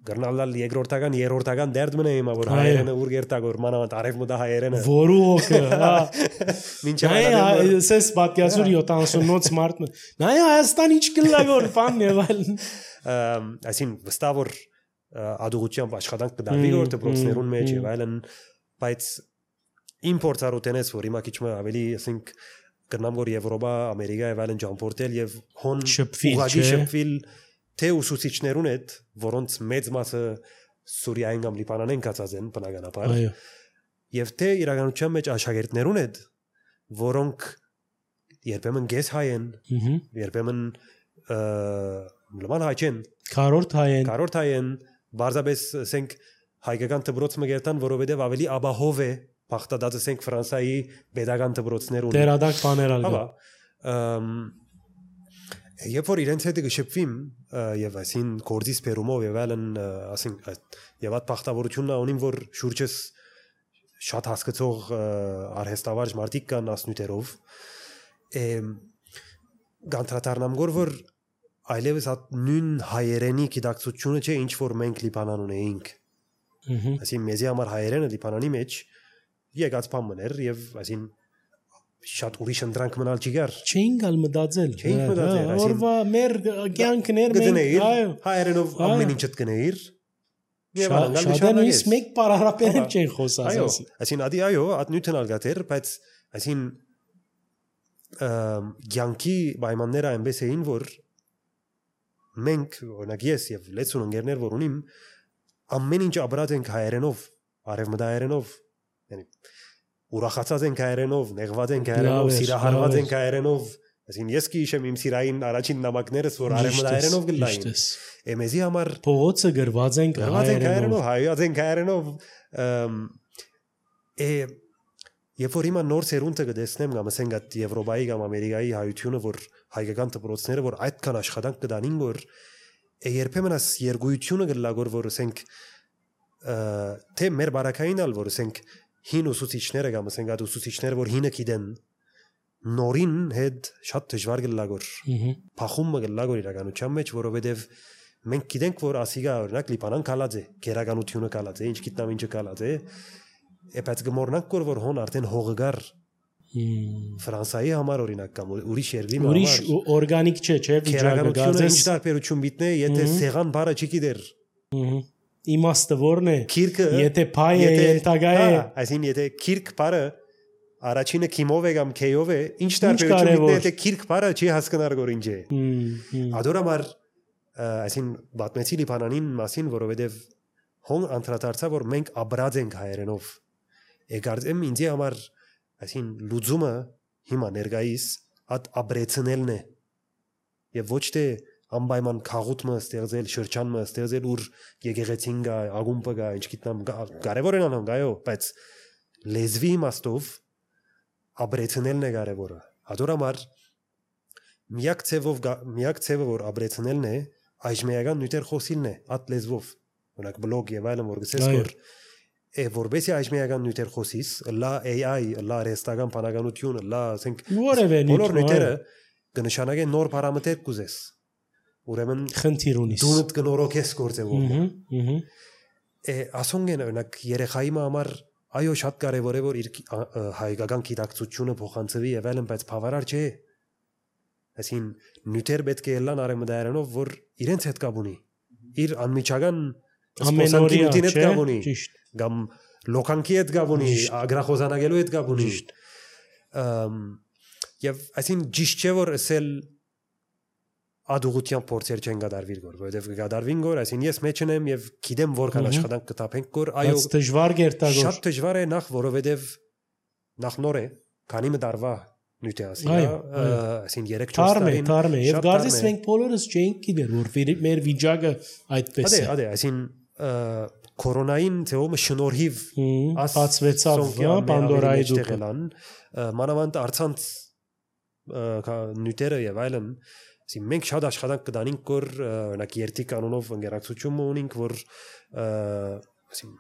Գռնալալ երկրորդական, երրորդական դերտ մնե հիմա որ հայերենը ուր գերտագոր մանավանդ արևմտահայերենը։ Որու հոգը, հա։ Մինչ այ սես պատկասուր յոթանասունոց մարդ։ Նայ Հայաստան ինչ կլագոր բան եւ այլն։ Այսին վստահ որ ադուղությամբ աշխատանք կդարվի որ դպրոցներուն մեջ եւ այլն, բայց իմ փորձառութենից որ հիմա քիչ ավելի ասենք կնամ որ Եվրոպա, Ամերիկա եւ այլն ճամփորդել եւ հոն ուղղակի շփվել թե ուսուցիչներուն հետ, որոնց մեծ մասը Սուրիայում կամ Լիբանանեն կացած են բնականաբար, եւ թե իրականության մեջ աշակերտներուն հետ, որոնք երբեմն գես հայ են, երբեմն լման հայ չեն, քարորդ հայ են, քարորդ հայ են, բարձրապես ասենք հայկական դպրոց մգերտան, որովհետեւ ավելի աբահով է բախտադած ասենք Ֆրանսիայի pedagogan դպրոցներուն։ Դերադակ բաներ ալգա։ Երբ որ իրենց հետ գշփվիմ եւ այսին կորձից բերումով եւ այլն ասենք եւ այդ բախտավորությունն ունիմ որ շուրջս շատ հասկացող արհեստավարժ մարդիկ կան ասնյութերով գանտրատարնամ գոր որ այլևս այդ նույն հայերենի գիտակցությունը չէ ինչ որ մենք Լիբանան ունեինք այսին մեզի համար հայերենը Լիբանանի մեջ եկած բաններ եւ այսին շատ ուրիշ ընդրանք մնալ չգար չէին գալ մտածել չէին մտածել օրվա մեր կյանքներ մենք այո հայերենով ամեն ինչը կգնեիր եւ շատերն ինձ մեկ պարարապերեն չեն խոսած այո այսին ադի այո այդ նյութն ալգատեր բայց այսին կյանքի պայմանները այնպես էին որ մենք օրինակ ես եւ լեցուն ընկերներ որ ունիմ ամեն ինչ ապրած ենք հայերենով արևմտահայերենով yəni ուրախացած ենք հայերենով, նեղված ենք հայերենով, սիրահարված ենք հայերենով, այսին ես կհիշեմ իմ սիրային առաջին նամակներս, որ արևմտահայերենով գլային։ Էմեզի համար փողոցը գրված ենք հայերենով, հայած ենք հայերենով, է երբ որ հիմա նոր սերունդը կտեսնեմ կամ ասենք այդ Եվրոպայի կամ Ամերիկայի հայությունը, որ հայկական դպրոցները, որ այդքան աշխատանք կդանին, որ երբեմն աս երգույթությունը գլագոր, որ ասենք թե մեր բարակային ալ, որ ասենք հին ուսուցիչները կամ ասենք այդ ուսուցիչները որ հինը գիտեն նորին հետ շատ դժվար գլագոր փախումը գլագոր իրականության մեջ որովհետև մենք գիտենք որ ասիգա օրինակ Լիբանան կալած է գերականությունը կալած է ինչ գիտնամ ինչը կալած է բայց գմորնանք որ որ հոն արդեն հողգար Ֆրանսիայի համար օրինակ կամ ուրիշ երկրի համար ուրիշ օրգանիկ չէ չէ վիճակը գազես ինչ տարբերություն միտնե եթե սեղան բարը չգիտեր իմաստը որն է քիրքը եթե փայ է ենթագա է այսին եթե քիրք բարը առաջինը քիմով է կամ քեյով է ինչ տարբերություն միտնե եթե քիրք բարը չի հասկանար որ ինչ է ադորամար այսին բատմեցի Լիբանանին մասին որովհետև հոն անդրադարձա որ մենք ապրած ենք հայերենով եկարծեմ ինձի համար այսին լուծումը հիմա ներկայիս այդ ապրեցնելն է եւ ոչ թե անպայման քաղուտը ստեղծել, շրջանը ստեղծել, ուր եկեղեցին գա, ագումբը գա, ինչ գիտնամ, կարևոր են անում, այո, բայց լեզվի իմաստով ապրեցնելն է կարևորը։ Հատորամար միակ ցևով միակ ցևը որ ապրեցնելն է, այժմեական նյութեր խոսիլն է, այդ լեզվով։ Օրինակ բլոգ եւ այլն որ գսես որ է որբեսի այժմեական նյութեր խոսիս, լա A I, լա ռեստական բանականություն, լա ասենք բոլոր նյութերը կնշանակեն նոր պարամետր կուզես։ Ուրեմն խնդիր ունիս դունդ կնորոգես գործելով է ասոնգեն օրինակ երեխայի համար այո շատ կարևոր է որ իր հայկական գիտակցությունը փոխանցվի եւ այլն բայց բավարար չէ այսին նյութեր պետք է լան արեմդայրանով որ իրենց հետ կապ ունի իր անմիջական ամենօրյա հետ կապ ունի կամ լոկանքի հետ կապ ունի ագրախոզանագելու հետ կապ ունի եւ այսին ճիշտ չէ որ ասել ադուղության փորձեր չեն գդարվիր գոր, որովհետև գդարվին գոր, այսին ես մեջ եմ եւ գիտեմ որքան աշխատանք կտապենք գոր, այո, դժվար գերտագոր։ Շատ դժվար է նախ որովհետև նախ նոր է, քանի մտարվա նյութը ասի, այսին երեք չորս տարին։ Թարմ է, եւ գարձես մենք բոլորս չենք գիտեր, որ մեր վիճակը այդպես է։ Ադե, ադե, այսին կորոնային թեոմը շնորհիվ բացվեցավ Պանդորայի դուռը մանավանդ արցանց նյութերը եւ այլն ասի մենք շատ աշխատանք կդանենք որ օրինակ երթի կանոնով ընկերակցություն ունենք որ ասի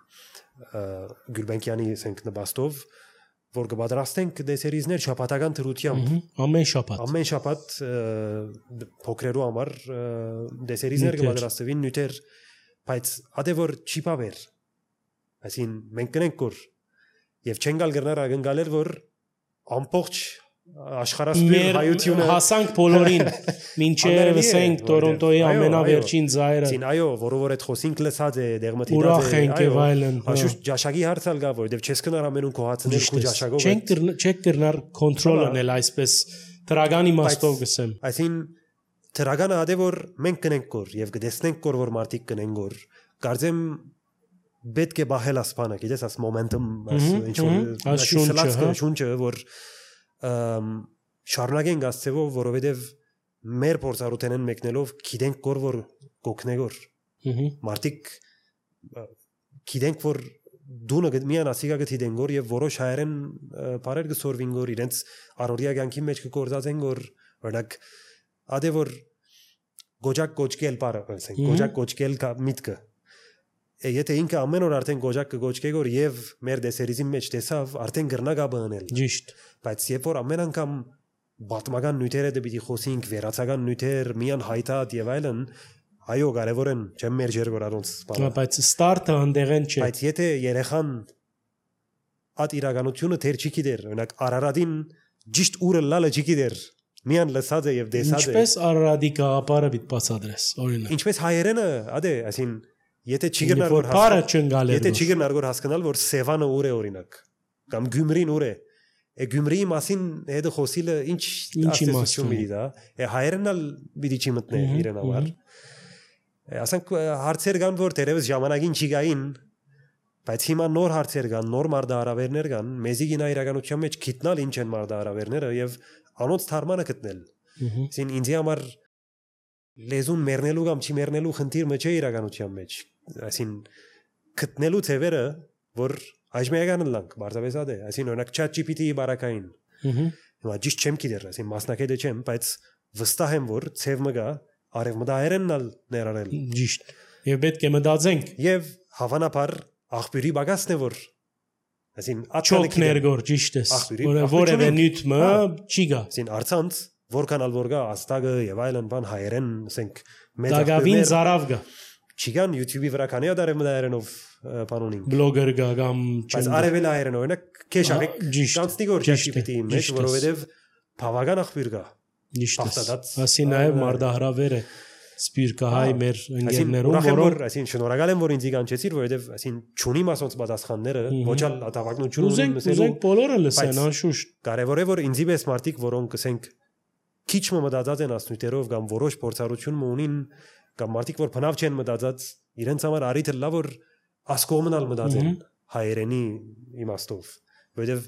Գյուլբենկյանի ասենք նպաստով որ կպատրաստենք դեսերիզներ շաբաթական թրությամբ ամեն շաբաթ ամեն շաբաթ փոքրերու համար դեսերիզներ կպատրաստվին նյութեր բայց ադե որ չի բավեր այսին մենք կնենք որ եւ չեն գալ գրնար ագնգալեր որ ամբողջ աշխարհասփյուր հայությունը հասանք բոլորին մինչև ասենք Տորոնտոյի ամենավերջին ծայրը ցին այո որովհետեւ այդ խոսինք լսած է դեղմտի դա ուրախ ենք եւ այլն աշուշ ջաշագի հարցալ գա որովհետեւ չես կնար ամենուն կոհացնել քու ջաշագով չենք չեք կրնար կոնտրոլ անել այսպես դրագանի մաստով գսեմ այսին դրագանը ադե որ մենք կնենք որ եւ կդեսնենք որ որ մարտիկ կնենք որ կարծեմ պետք է բահել ասպանը գիտես աս մոմենտում ինչ որ շունչը որ շարունակենք ասцеվով որովհետեւ մեր փորձառութենեն մեկնելով գիտենք որ որ կոկնեգոր մարտիկ գիտենք որ դունը միան ասիգա գտիդեն գոր եւ որոշ հայերեն բարեր գսորվին գոր իրենց արորիա կյանքի մեջ կգործածեն գոր օրինակ ադե որ գոջակ կոչկել բարը ասենք գոջակ կոչկել միտքը եթե ինքը ամեն օր արդեն գոջակ կգոչկե գոր եւ մեր դեսերիզի մեջ տեսավ արդեն գրնագա բանել ճիշտ բայց երբ որ ամեն անգամ բատմական նյութերը դեպի խոսինք վերացական նյութեր միան հայտատ եւ այլն այո կարեւոր են չեմ մերժեր որ առոնց բանը բայց ստարտը հանդեղեն չէ բայց եթե երեխան at իրականությունը թեր չի գիտեր օրինակ Արարատին ճիշտ ուրը լալը չի գիտեր միան լսած է եւ տեսած է ինչպես Արարատի գաղափարը պիտի բացադրես օրինակ ինչպես հայերենը ադե այսին եթե չի գնար որ բարը չընկալեր եթե չի գնար որ հասկանալ որ Սևանը ուր է օրինակ կամ Գյումրին ուր է է Գյումրիի մասին հետը խոսիլը ինչ ասեցություն մի դա է հայերենալ պիտի չի մտնե իրեն համար ասենք հարցեր կան որ դերևս ժամանակին չի գային բայց հիմա նոր հարցեր կան նոր մարդահրավերներ կան մեզի գինա իրականության մեջ գիտնալ ինչ են մարդահրավերները եւ անոնց թարմանը գտնել այսին ինձ համար լեզուն մեռնելու կամ չի մեռնելու խնդիրը չէ իրականության մեջ այսին գտնելու ծևերը որ այժմ եկան լանք բարձավեսա դե այսին օրինակ chat G P T-ի բարակային հիմա ճիշտ չեմ գիտեր այսին մասնակետը չեմ բայց վստահ եմ որ ծև մգա արևմտահայերենն ներառել ճիշտ եւ պետք է մտածենք եւ հավանաբար աղբյուրի բագասն է որ այսին աչոքներ գոր ճիշտ է որևէ նյութը չի գա այսին արցանց որքան ալ որ գա աստագը եւ այլն բան հայերեն ասենք մեծ աղբյուրներ զարավ գա չգան YouTube-ի վրա քանի ադարը մդայերենով բանոնին բլոգեր գա կամ բայց արևել հայերեն օրինակ քեշավեք կանցնի գոր chat G P T-ի մեջ որովհետեւ բավական աղբյուր գա ճիշտ ասի նաեւ մարդահրավեր է սպիրկահայ մեր ընկերներում որոնք այսին շնորհակալ եմ որ ինձ կանչեցիր որովհետեւ այսին ճունի մասոնց պատասխանները ոչ ալ ատավակնություն ունեն ուզենք բոլորը լսեն անշուշտ կարևոր է որ ինձի պես մարդիկ որոնք ասենք քիչ մտածած են ասնույթերով կամ որոշ փորձառություն ունին կամ մարդիկ որ բնավ չեն մտածած իրենց համար արիթը լավ որ ասկոմնալ մտածեն հայերենի իմաստով որովհետեւ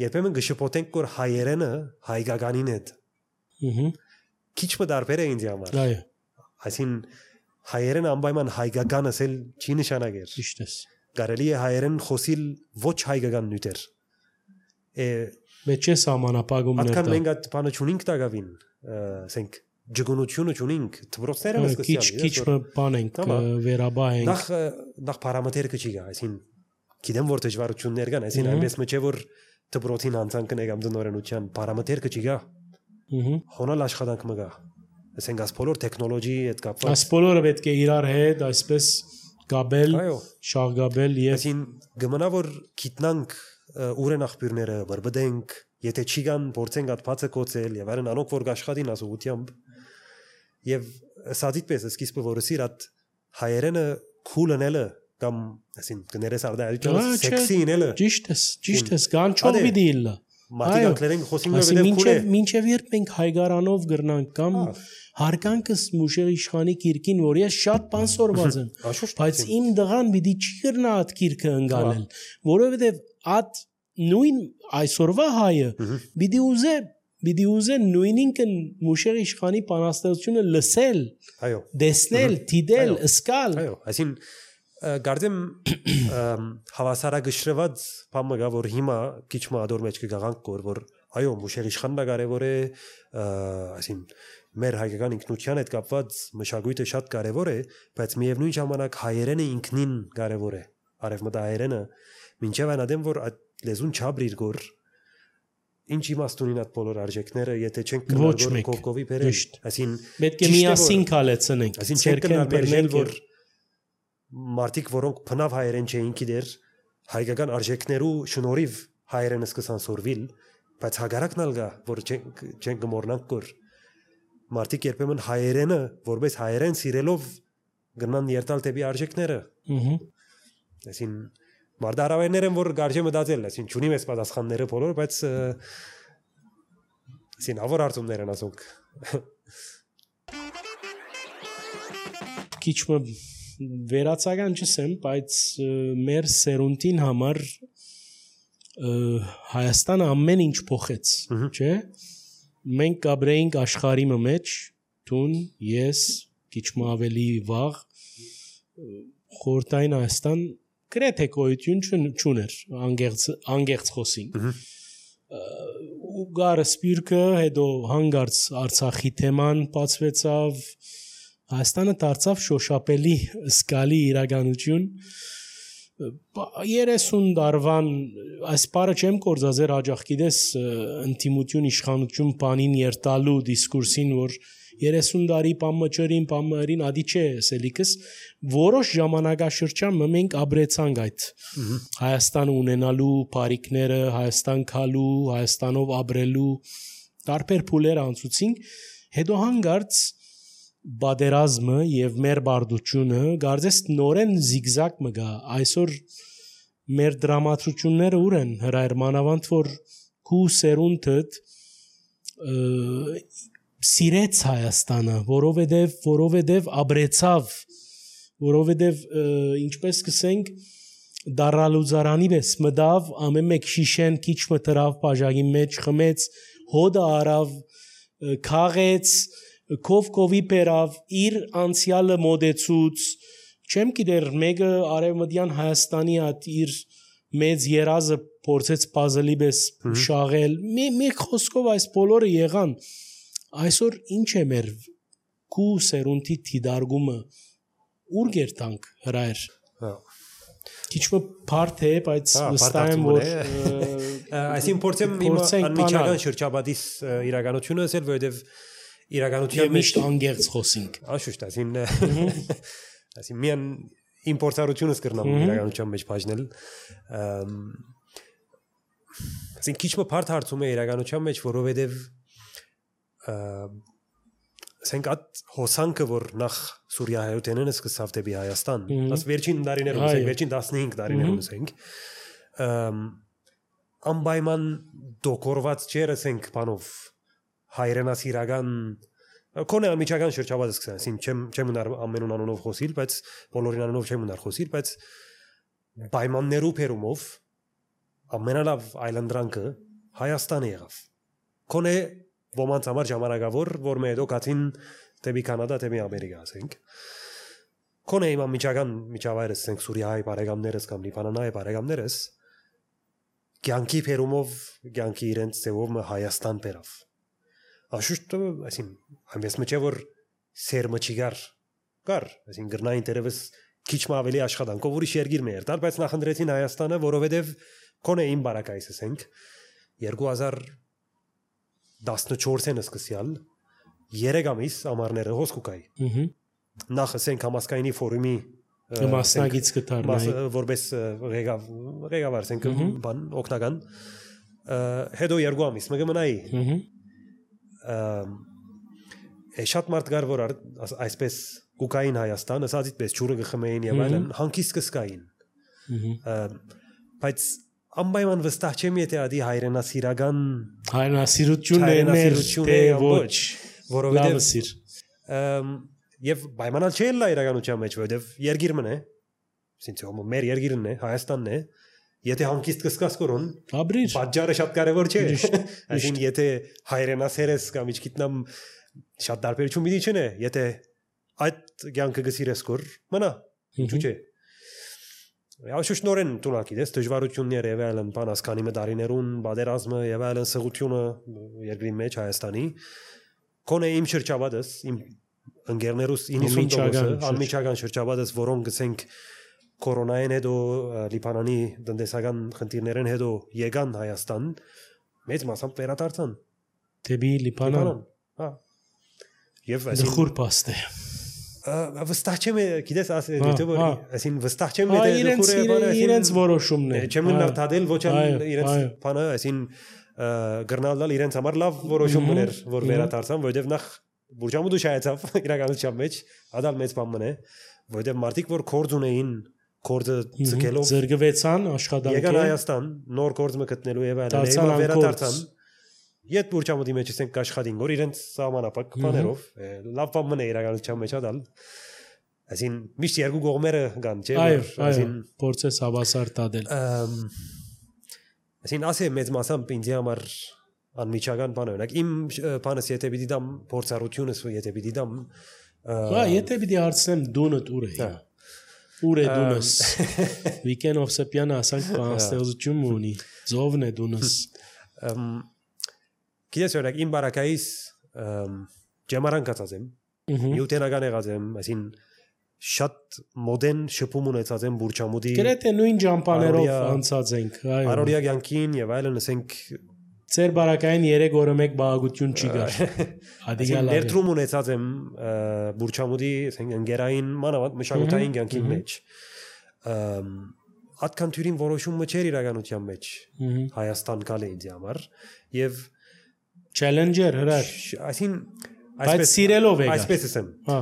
երբեմն գշփոթենք որ հայերենը հայկականին է քիչ մտարբեր է ինձ համար այո այսին հայերեն անպայման հայկական ասել չի նշանակեր ճիշտ է կարելի է հայերեն խոսիլ ոչ հայկական նյութեր է մեջը սահմանապահումներ դա մենք այդ բանը չունենք տակավին ասենք ջգունությունը չունենք դպրոցները սկսել քիչ քիչ բան ենք վերաբահենք նախ նախ պարամետրը չի գա այսին գիտեմ որ դժվարություններ կան այսին այնպես մջե որ դպրոցին անցանքն է կամ դնորենության պարամետրը չի գա հոնալ աշխատանք մը գա ասենք աս բոլոր տեխնոլոգի հետ կապված աս բոլորը պետք է իրար հետ այսպես գաբել շաղգաբել եւ այսին գմնա որ գիտնանք ուր են աղբյուրները բրբդենք եթե չի կան փորձենք այդ բացը կոծել եւ այլն անոնք որ աշխատին ասուությամբ եւ սադիտպես սկիզբը որ սիր այդ հայերենը քուլնելը կամ ասին կներես արդյոք սեքսի ինելը ճիշտ է ճիշտ է կանչող վիդիլը մատիկանքներեն խոսինգը վեդև քուլ է մինչև երբ մենք հայգարանով գրնանք կամ հարգանքս մուշեր իշխանի կիրկին որ ես շատ բան սորված եմ բայց իմ դղան պիտի չի գրնա այդ կիրքը ընկալել որովհետեւ այդ նույն այսօրվա հայը պիտի ուզե պիտի ուզե նույնինքն մուշեր իշխանի բանաստեղծությունը լսել այո դեսնել դիդել սկալ այո այսին Գարդեմ հավասարակշռված բանը գա որ հիմա քիչ մադոր մեջ կգանք կոր որ այո մուշեր իշխանն կարևոր է այսին մեր հայկական ինքնության հետ կապված մշակույթը շատ կարևոր է բայց միևնույն ժամանակ հայերենը ինքնին կարևոր է արևմտահայերենը մինչև այնադեմ որ լեզուն չաբրիր գոր ինչ իմաստունին այդ բոլոր արժեքները եթե չենք կնարգոր կողքովի բերել այսին պետք է միասին կալեցնենք այսին չենք կնարգել որ մարդիկ որոնք բնավ հայերեն չէին գիտեր հայկական արժեքներու շնորհիվ հայերենը սկսան սորվիլ բայց հագարակն ալգա որ չենք չենք գմորնանք կոր մարդիկ երբեմն հայերենը որպես հայերեն սիրելով գնան երթալ դեպի արժեքները ըհը այսին մարդարավերներն որ գարժե մտածել այսին ճունի մեծ պատասխանները բոլոր բայց այսին ավոր արտումներ են ասոնք քիչ մը վերացական չսեմ, բայց մեր սերունդին համար Հայաստանը ամեն ինչ փոխեց, չէ՞։ Մենք կաբրեինք աշխարհի մեջ, տուն, ես, քիչ մը ավելի վաղ խորտային Հայաստան գրեթե գոյություն չուներ, անգերց անգերց խոսին։ Ու գարը սպիրկը հետո հանգարց Արցախի թեման բացվեցավ Հայաստանը դարձավ շոշափելի զգալի իրականություն երեսուն դարվան այս բառը չեմ կորզազեր հաջող գիտես ինտիմություն իշխանություն բանին երտալու դիսկուրսին որ երեսուն տարի պամմաճերին պամմարին ադի չէ սելիկս որոշ ժամանակաշրջան մենք աբրեցանք այդ Հայաստանը ունենալու բարիկները Հայաստան քալու Հայաստանով աբրելու տարբեր փուլեր անցուցինք հետո հանգարց բادرազմը եւ մեր բարդությունը գարձես նորեն զիգզակ մգա այսօր մեր դրամատրությունները ուր են հրայր մանավանդ որ քու սերունդդ սիրեց Հայաստանը որովհետեւ որովհետեւ աբրեցավ որովհետեւ ինչպես կսենք դարալուզարանի պես մդավ ամեն մեկ շիշեն քիչ մտրավ բաժակի մեջ խմեց հոդը արավ քաղեց Կովկովի պերավ իր անցյալը մոդեցուց չեմ գիտեր մեկը արևմտյան Հայաստանի այդ իր մեծ երազը փորձեց puzzle-ի պես շաղել մի խոսքով այս բոլորը եղան այսօր ինչ է մեր քու սերունդի դիդարգումը ուր գերտանք հրայր քիչ մը բարդ է բայց վստահ եմ որ այսին փորձեմ իմ անմիջական շրջապատիս իրականությունը ասել որովհետև իրականության մեջ անգերց խոսինք աշուշտ այսին այսին միան իմպորտարությունս կրնամ իրականության մեջ բաժնել այսին քիչ մը բարդ հարցում է իրականության մեջ որովհետև ասենք այդ հոսանքը որ նախ Սուրիայությունն սկսավ դեպի Հայաստան աս վերջին տարիներում ասենք վերջին տասնհինգ տարիներում ասենք անպայման դոկորված չէր ասենք բանով հայրենասիրական կոնե անմիջական շրջապատը սկսան, ասին չեմ չեմ ուներ ամենուն անունով խոսիլ, բայց բոլորին անունով չեմ ուներ խոսիլ, բայց պայմաններու փերումով ամենալավ այլանդրանքը Հայաստանը եղավ։ Կոնե ոմանց համար ժամանակավոր, որ մեր հետո գացին դեպի Կանադա, դեպի Ամերիկա, ասենք։ Կոնե իմ անմիջական միջավայրս, ասենք Սուրիայի բարեկամներս կամ Լիբանանայի բարեկամներս կյանքի փերումով, կյանքի իրենց ձևով Հայաստան բերավ։ Աշուշտ, այսին, այնպես մջե որ սերմը չգար, կար, այսին գրնային տերևս քիչ մը ավելի աշխատանքով ուրիշ երգիր մեր տալ, բայց նախընտրեցին Հայաստանը, որովհետև կոնե իմ բարակայս ասենք երկու հազար տասնչորսն սկսյալ երեք ամիս ամառները հոսքուկայի։ Նախ ասենք համասկայնի ֆորումի մասնագից կդառնայի որպես ղեկավար ասենք բան օգնական հետո երկու ամիս մը կմնայի շատ մարդ գար որ այսպես կուկային Հայաստան ասածից պես ջուրը գխմեին եւ այլն հանկիստ կսկային բայց անպայման վստահ չեմ եթե ադի հայրենասիրական հայրենասիրությունն է մեր թե ոչ որովհետեւ եւ պայմանալ չէ լա իրականության մեջ որովհետեւ երգիրմն է ասինքն հոմ մեր երգիրն է Հայաստանն է Եթե հանկիստ կսկաս կորոն, պատճառը շատ կարևոր չէ։ Այսինքն եթե հայրենասեր ես կամ իչքիտնամ շատ տարբերություն մի դիչն է, եթե այդ կյանքը գսիրես կոր, մնա, ինչու՞ չէ։ Աշուշ նորեն տունակի դες դժվարություններ եղել են բանասկանի մդարիներուն, բادرազմը եղել են սղությունը երկրի մեջ Հայաստանի։ Կոնե իմ շրջապատս, իմ ընկերներուս իննսուն տոկոսը, անմիջական շրջապատս, որոնք գսենք կորոնային հետո Լիբանանի տնտեսական խնդիրներեն հետո եկան Հայաստան, մեծ մասամբ վերադարձան։ Դեպի Լիբանան։ Հա։ Եվ այսին խուր պաստ է։ Վստահ չեմ, գիտես, այսին վստահ չեմ, եթե խուրը իրենց որոշումն է։ Չեմ նարդադել ոչ իրենց բանը, այսին գրնալալ իրենց համար լավ որոշում մներ, որ վերադարձան, որովհետև նախ Բուրջամուդու շայեցավ իրականության մեջ, ադալ մեծ բան մնե, որովհետև մարդիկ որ կորձ ունեին, կորձը ցկելով զրկվեցան աշխատանքեր։ Եկան Հայաստան, նոր կորձ մը գտնելու եւ այլն, եւ վերադարձան։ Ետ Բուրջամուդի մեջ ասենք աշխատին, որ իրենց սահմանապակ բաներով, լավ բան մնե իրականության մեջ ադալ։ Այսին միշտ երկու կողմերը կան, չէ՞, այսին փորձես հավասար տադել։ Այսին ասե մեծ մասամբ ինձ համար անմիջական բան օրինակ իմ բանս եթե պիտի դամ փորձառությունս եթե պիտի դամ հա եթե պիտի հարցնեմ դունդ ուր է ուր է դունս Վիկեն Օվսեփյանը ասանք բանաստեղծություն ունի ծովն է դունս Գիտես օրինակ իմ բարակայից ջամարան կացած եմ նյուտենական եղած եմ այսին շատ մոդեն շփում ունեցած եմ Բուրջամուդի գրեթե նույն ջամպաներով անցած ենք այո Արորիա կյանքին եւ այլն ասենք Ձեր բարակային երեք օրը մեկ բաղագություն չի գար։ Ադիգալ ներդրում ունեցած եմ Բուրջամուդի, ասենք ընկերային մանավանդ մշակութային կյանքի մեջ։ Այդքան թյուրին որոշումը չէր իրականության մեջ Հայաստան գալը ինձ համար եւ challenger հրար։ Այսին այսպես սիրելով եկա։ Այսպես եմ։ Հա։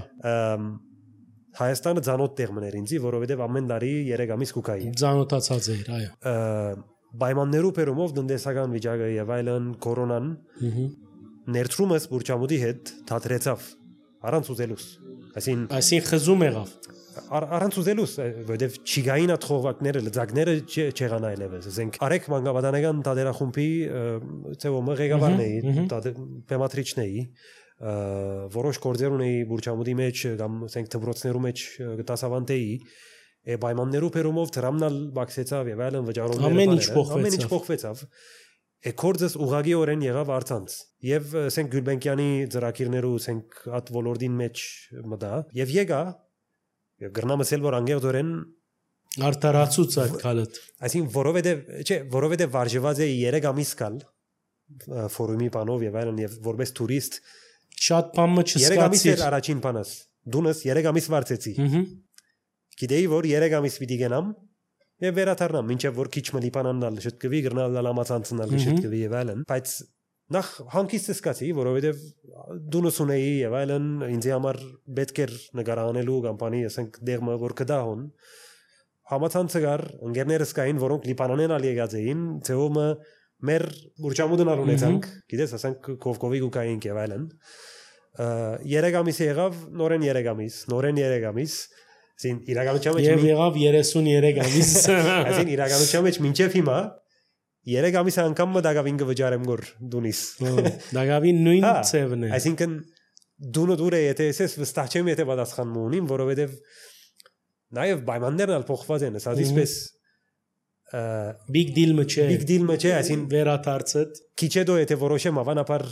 Հայաստանը ցանոթ տեղ մներ ինձի, որովհետեւ ամեն տարի երեք ամիս կուկայի։ Ցանոթացած էր, այո։ Պայմաններու բերումով տնտեսական վիճակը եւ այլն կորոնան ներդրումս Բուրջամուդի հետ դադրեցավ առանց ուզելուս այսին այսին խզում եղավ առանց ուզելուս որովհետեւ չիգային աթխողակները լծակները չեղան այլևս ասենք արեք մանկաբանական դադրախումբի ծեվոմը ղեկավարն էի պեմատրիչն էի որոշ գործեր ունեի Բուրջամուդի մեջ կամ ասենք դպրոցներու մեջ դասավանդեի Է պայմաններու բերումով դրամնալ բացեցավ եւ այլն վճարումները ամեն ինչ փոխվեցավ ամեն ինչ փոխվեցավ է կորձս ուղագիորեն եղավ արցանց եւ ասենք Գյուլբենկյանի ծրագիրներու ասենք at ոլորտին մեջ մտա եւ եկա եւ գրնամսել որ անգերդորեն արտարացուց այդ քալդ այսին որովհետեւ չէ որովհետեւ վարժված է երեք ամիս կալ ֆորումի բանով եւ այլն եւ որպես տուրիստ շատ բան չսկացի երեք ամիս էր առաջին բանս դունս երեք ամիս վարձեցի Գիտեի որ երեք ամիս պիտի գնամ եւ վերադառնամ մինչեւ որ քիչ մը Լիբանանալ շտկվի գրնալ լամացանցնալ շտկվի եւ այլն բայց նախ հանկիստ սկացի որովհետեւ դունս ունեի եւ այլն ինձ համար պետք էր նկարանելու կամպանի ասենք դերմը որ կդահոն համացանցը գար ընկերներս կային որոնք Լիբանանեն ալ եկած էին ծեոմը մեր Բուրջամուդն ալ ունեցանք գիտես ասենք Կովկովի գուկային եւ այլն երեք ամիս եղավ նորեն երեք ամիս նորեն երեք ամիս Այսին իրականության մեջ Եվ եղավ երեսուններեք ամիս Այսին իրականության մեջ մինչև հիմա երեք ամիս անգամ մը դագավին կվճարեմ գոր դունիս Դագավին նույն ծևն է Այսինքն դունը դուր է եթե ես վստահ չեմ եթե պատասխան մունին որովհետև նաև պայմաններն ալ փոխված են ասած իսպես big deal մը չէ big deal մը չէ այսին վերադարձդ քիչ հետո եթե որոշեմ ավանապար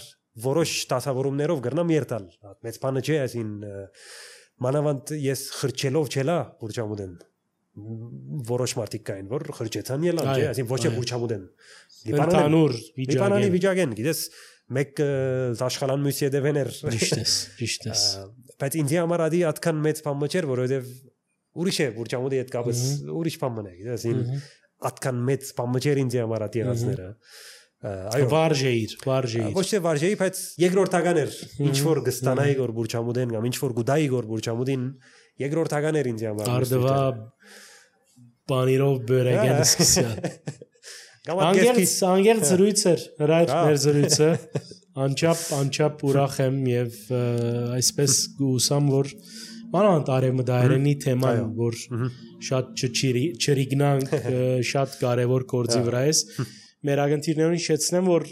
որոշ տասավորումներով գրնամ երթալ մեծ բանը չէ այսին Մանավանդ ես խրճելով չելա Բուրջամուդեն որոշ մարդիկ կային որ խրճեցան ելան չէ այսին ոչ է Բուրջամուդեն Լիբանանուր Լիբանանի վիճակեն գիտես մեկ աշխալան մյուսի դևեներ ճիշտ է ճիշտ է բայց ինձ համար ադի այդքան մեծ բան չէր որովհետև ուրիշ է Բուրջամուդի հետ կապս ուրիշ բան մնա գիտես այդքան մեծ բան չէր ինձ համար ադի եղածները այո վարժեիր վարժեիր ոչ թե վարժեի բայց երկրորդական էր ինչ որ գստանայի գոր Բուրջամուդեն կամ ինչ որ գուդայի գոր Բուրջամուդին երկրորդական էր ինձ համար արդվա բանիրով բերեգեն սկսյալ անգերց անգերց զրույց էր հրայր մեր զրույցը անչափ անչափ ուրախ եմ եւ այսպես գուսամ որ մանավանդ արևմտահայերենի թեման որ շատ չրիգնանք շատ կարեւոր գործի վրա է Մեր ագնտիրներուն շեծնեմ, որ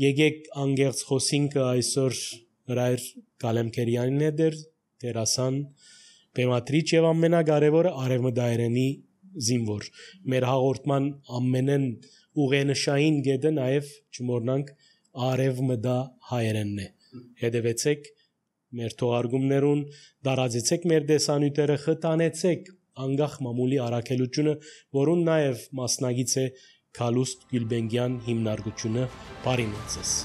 եկեք անգերց խոսինքը այսօր հրայր Գալեմքերյանին է դեր, տերասան, պեմատրիչ և ամենակարևորը արևմտահայերենի զինվոր։ Մեր հաղորդման ամենեն ուղենշային գեդը նաև չմոռնանք արև մդա հայերենն է։ Հետևեցեք մեր թողարկումներուն, դարաձեցեք մեր դեսանյութերը, խթանեցեք անգախ մամուլի առաքելությունը, որուն նաև մասնագից է Քալուստ Գյուլբենգյան հիմնարկությունը։ Բարի մնացես։